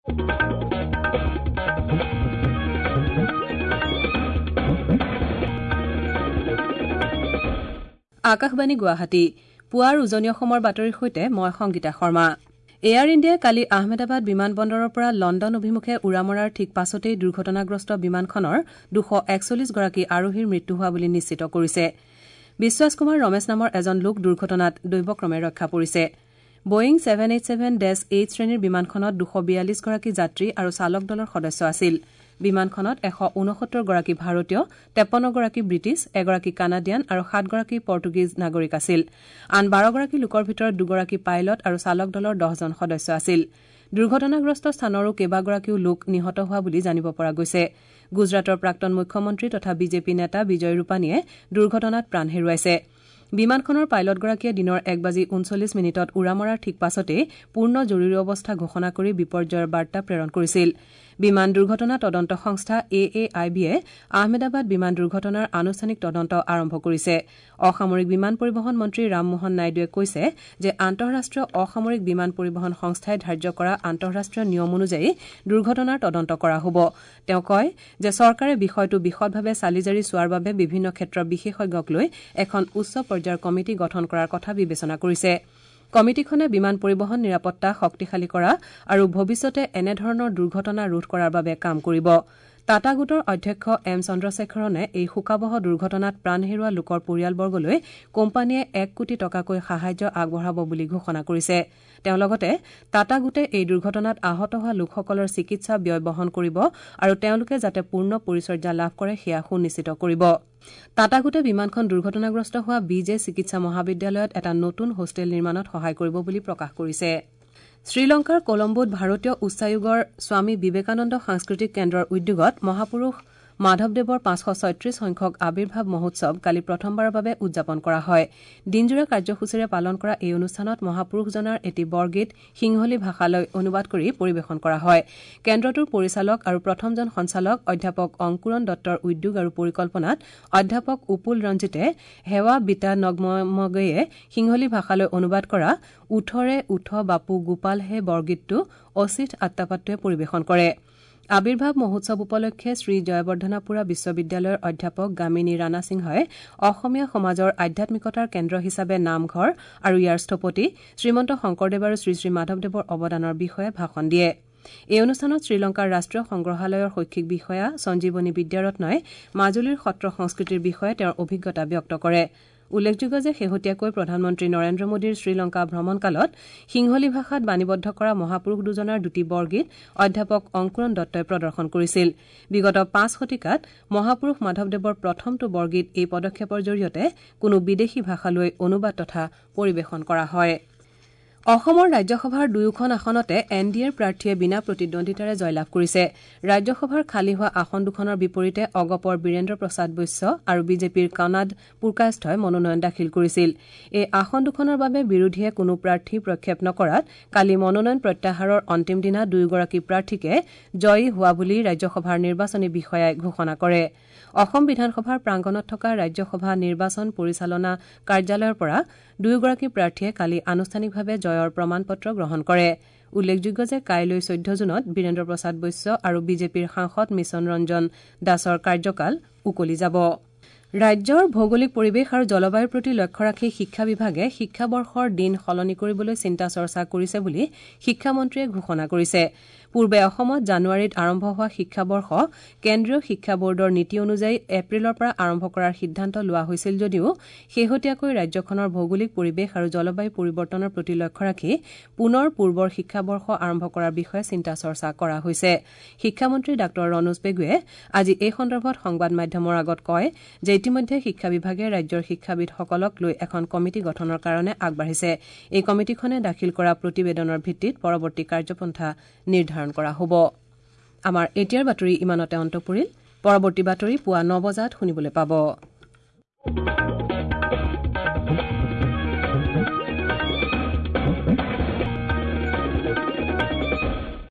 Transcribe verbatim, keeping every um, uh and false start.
আকাশবাণী গুৱাহাটী পুৱাৰ উজনি অসমৰ বাতৰিৰ সৈতে মই সংগীতা শৰ্মা। এয়াৰ ইণ্ডিয়াই কালি আহমেদাবাদ বিমানবন্দৰৰ পৰা লণ্ডন অভিমুখে উৰা মৰাৰ ঠিক পাছতেই দুৰ্ঘটনাগ্ৰস্ত বিমানখনৰ দুশ একচল্লিছ গৰাকী আৰোহীৰ মৃত্যু হোৱা বুলি নিশ্চিত কৰিছে। বিশ্বাস কুমাৰ ৰমেশ নামৰ এজন লোক দুৰ্ঘটনাত দৈৱক্ৰমে ৰক্ষা পৰিছে। Boeing seven eight seven dash eight শ্ৰেণীৰ বিমানখনত দুশ বিয়াল্লিছ গৰাকী যাত্ৰী আৰু চালক দলৰ সদস্য আছিল। বিমানখনত এশ ঊনসত্তৰ গৰাকী ভাৰতীয়, তেপন্নগৰাকী ব্ৰিটিছ, এগৰাকী কানাডিয়ান আৰু সাতগৰাকী পৰ্টুগীজ নাগৰিক আছিল। আন বাৰগৰাকী লোকৰ ভিতৰত দুগৰাকী পাইলট আৰু চালক দলৰ দহজন সদস্য আছিল। দুৰ্ঘটনাগ্ৰস্ত স্থানৰো কেইবাগৰাকীও লোক নিহত হোৱা বুলি জানিব পৰা গৈছে। গুজৰাটৰ প্ৰাক্তন মুখ্যমন্ত্ৰী তথা বিজেপি নেতা বিজয় ৰূপানীয়ে দুৰ্ঘটনাত প্ৰাণ হেৰুৱাইছে। বিমানখনৰ পাইলটগৰাকীয়ে দিনৰ এক বাজি ঊনচল্লিছ মিনিটত উৰা মৰাৰ ঠিক পাছতেই পূৰ্ণ জৰুৰী অৱস্থা ঘোষণা কৰি বিপৰ্যয়ৰ বাৰ্তা প্ৰেৰণ কৰিছিল। বিমান দুৰ্ঘটনা তদন্ত সংস্থা এ এ I বিয়ে আহমেদাবাদ বিমান দুৰ্ঘটনাৰ আনুষ্ঠানিক তদন্ত আৰম্ভ কৰিছে। অসামৰিক বিমান পৰিবহণ মন্ত্ৰী ৰামমোহন নাইডুৱে কৈছে যে আন্তঃৰাষ্ট্ৰীয় অসামৰিক বিমান পৰিবহণ সংস্থাই ধাৰ্য কৰা আন্তঃৰাষ্ট্ৰীয় নিয়ম অনুযায়ী দুৰ্ঘটনাৰ তদন্ত কৰা হ'ব। তেওঁ কয় যে চৰকাৰে বিষয়টো বিশদভাৱে চালিজাৰি চোৱাৰ বাবে বিভিন্ন ক্ষেত্ৰৰ বিশেষজ্ঞক লৈ এখন উচ্চ পৰ্যায়ৰ কমিটি গঠন কৰাৰ কথা বিবেচনা কৰিছে। কমিটিখনে বিমান পৰিবহণ নিৰাপত্তা শক্তিশালী কৰা আৰু ভৱিষ্যতে এনেধৰণৰ দুৰ্ঘটনা ৰোধ কৰাৰ বাবে কাম কৰিব। টাটা গোটৰ অধ্যক্ষ এম চন্দ্ৰশেখৰণে এই শোকাৱহ দুৰ্ঘটনাত প্ৰাণ হেৰুওৱা লোকৰ পৰিয়ালবৰ্গলৈ কোম্পানীয়ে এক কোটি টকাকৈ সাহায্য আগবঢ়াব বুলি ঘোষণা কৰিছে। তেওঁ লগতে টাটা গোটে এই দুৰ্ঘটনাত আহত হোৱা লোকসকলৰ চিকিৎসা ব্যয় বহন কৰিব আৰু তেওঁলোকে যাতে পূৰ্ণ পৰিচৰ্যা লাভ কৰে সেয়া সুনিশ্চিত কৰিব। টাটা গোটে বিমানখন দুৰ্ঘটনাগ্ৰস্ত হোৱা বি জে চিকিৎসা মহাবিদ্যালয়ত এটা নতুন হোষ্টেল নিৰ্মাণত সহায় কৰিব বুলি প্ৰকাশ কৰিছে। শ্ৰীলংকাৰ কলম্বোত ভাৰতীয় উচ্চায়োগৰ স্বামী বিবেকানন্দ সাংস্কৃতিক কেন্দ্ৰৰ উদ্যোগত মহাপুৰুষ মাধৱদেৱৰ পাঁচশ ছয়ত্ৰিশ সংখ্যক আৱিৰ্ভাৱ মহোৎসৱ কালি প্ৰথমবাৰৰ বাবে উদযাপন কৰা হয়। দিনজোৰা কাৰ্যসূচীৰে পালন কৰা এই অনুষ্ঠানত মহাপুৰুষজনাৰ এটি বৰগীত সিংহলী ভাষালৈ অনুবাদ কৰি পৰিৱেশন কৰা হয়। কেন্দ্ৰটোৰ পৰিচালক আৰু প্ৰথমজন সঞ্চালক অধ্যাপক অংকুৰণ দত্তৰ উদ্যোগ আৰু পৰিকল্পনাত অধ্যাপক উপুল ৰঞ্জিতে হেৱা বিতা নগমগেয়ে সিংহলী ভাষালৈ অনুবাদ কৰা উঠৰে উঠ বাপু গোপাল হে বৰগীতটো অচিথ আত্তাপাত্তুৱে পৰিৱেশন কৰে। আৱিৰ্ভাৱ মহোৎসৱ উপলক্ষে শ্ৰী জয়বৰ্ধনাপুৰা বিশ্ববিদ্যালয়ৰ অধ্যাপক গামিনী ৰাণা সিংহই অসমীয়া সমাজৰ আধ্যাত্মিকতাৰ কেন্দ্ৰ হিচাপে নামঘৰ আৰু ইয়াৰ স্থপতি শ্ৰীমন্ত শংকৰদেৱ আৰু শ্ৰীশ্ৰী মাধৱদেৱৰ অৱদানৰ বিষয়ে ভাষণ দিয়ে। এই অনুষ্ঠানত শ্ৰীলংকাৰ ৰাষ্ট্ৰীয় সংগ্ৰহালয়ৰ শৈক্ষিক বিষয়া সঞ্জীৱনী বিদ্যাৰত্নই মাজুলীৰ সত্ৰ সংস্কৃতিৰ বিষয়ে তেওঁৰ অভিজ্ঞতা ব্যক্ত কৰে। উল্লেখযোগ্য যে শেহতীয়াকৈ প্ৰধানমন্ত্ৰী নৰেন্দ্ৰ মোদীৰ শ্ৰীলংকা ভ্ৰমণকালত সিংহলী ভাষাত বাণীবদ্ধ কৰা মহাপুৰুষ দুজনাৰ দুটি বৰগীত অধ্যাপক অংকুৰণ দত্তই প্ৰদৰ্শন কৰিছিল। বিগত পাঁচ শতিকাত মহাপুৰুষ মাধৱদেৱৰ প্ৰথমটো বৰগীত এই পদক্ষেপৰ জৰিয়তে কোনো বিদেশী ভাষালৈ অনুবাদ তথা পৰিৱেশন কৰা হয়। অসমৰ ৰাজ্যসভাৰ দুয়োখন আসনতে এন ডি এৰ প্ৰাৰ্থীয়ে বিনা প্ৰতিদ্বন্দ্বিতাৰে জয়লাভ কৰিছে। ৰাজ্যসভাৰ খালী হোৱা আসন দুখনৰ বিপৰীতে অগপৰ বীৰেন্দ্ৰ প্ৰসাদ বৈশ্য আৰু বিজেপিৰ কণাদ পুৰকায়স্থই মনোনয়ন দাখিল কৰিছিল। এই আসন দুখনৰ বাবে বিৰোধীয়ে কোনো প্ৰাৰ্থী প্ৰক্ষেপ নকৰাত কালি মনোনয়ন প্ৰত্যাহাৰৰ অন্তিম দিনা দুয়োগৰাকী প্ৰাৰ্থীকে জয়ী হোৱা বুলি ৰাজ্যসভাৰ নিৰ্বাচনী বিষয়াই ঘোষণা কৰে। অসম বিধানসভাৰ প্ৰাংগণত থকা ৰাজ্যসভা নিৰ্বাচন পৰিচালনা কাৰ্যালয়ৰ পৰা দুয়োগৰাকী প্ৰাৰ্থীয়ে কালি আনুষ্ঠানিকভাৱে জয়ৰ প্ৰমাণ পত্ৰ গ্ৰহণ কৰে। উল্লেখযোগ্য যে কাইলৈ চৈধ্য জুনত বীৰেন্দ্ৰ প্ৰসাদ বৈশ্য আৰু বিজেপিৰ সাংসদ মিছন ৰঞ্জন দাসৰ কাৰ্যকাল উকলি যাব। ৰাজ্যৰ ভৌগোলিক পৰিৱেশ আৰু জলবায়ুৰ প্ৰতি লক্ষ্য ৰাখি শিক্ষা বিভাগে শিক্ষাবৰ্ষৰ দিন সলনি কৰিবলৈ চিন্তা চৰ্চা কৰিছে বুলি শিক্ষামন্ত্ৰীয়ে ঘোষণা কৰিছে। পূৰ্বে অসমত জানুৱাৰীত আৰম্ভ হোৱা শিক্ষাবৰ্ষ কেন্দ্ৰীয় শিক্ষা বৰ্ডৰ নীতি অনুযায়ী এপ্ৰিলৰ পৰা আৰম্ভ কৰাৰ সিদ্ধান্ত লোৱা হৈছিল যদিও শেহতীয়াকৈ ৰাজ্যখনৰ ভৌগোলিক পৰিৱেশ আৰু জলবায়ু পৰিৱৰ্তনৰ প্ৰতি লক্ষ্য ৰাখি পুনৰ পূৰ্বৰ শিক্ষাবৰ্ষ আৰম্ভ কৰাৰ বিষয়ে চিন্তা চৰ্চা কৰা হৈছে। শিক্ষামন্ত্ৰী ডাঃ ৰণোজ পেগুৱে আজি এই সন্দৰ্ভত সংবাদ মাধ্যমৰ আগত কয় যে ইতিমধ্যে শিক্ষা বিভাগে ৰাজ্যৰ শিক্ষাবিদসকলক লৈ এখন কমিটি গঠনৰ কাৰণে আগবাঢ়িছে। এই কমিটিখনে দাখিল কৰা প্ৰতিবেদনৰ ভিত্তিত পৰৱৰ্তী কাৰ্যপন্থা নিৰ্ধাৰণ কৰা হ'ব। আমাৰ এতিয়াৰ বাতৰি ইমানতে অন্ত পৰিল। পৰৱৰ্তী বাতৰি পুৱা ন বজাত শুনিবলৈ পাব।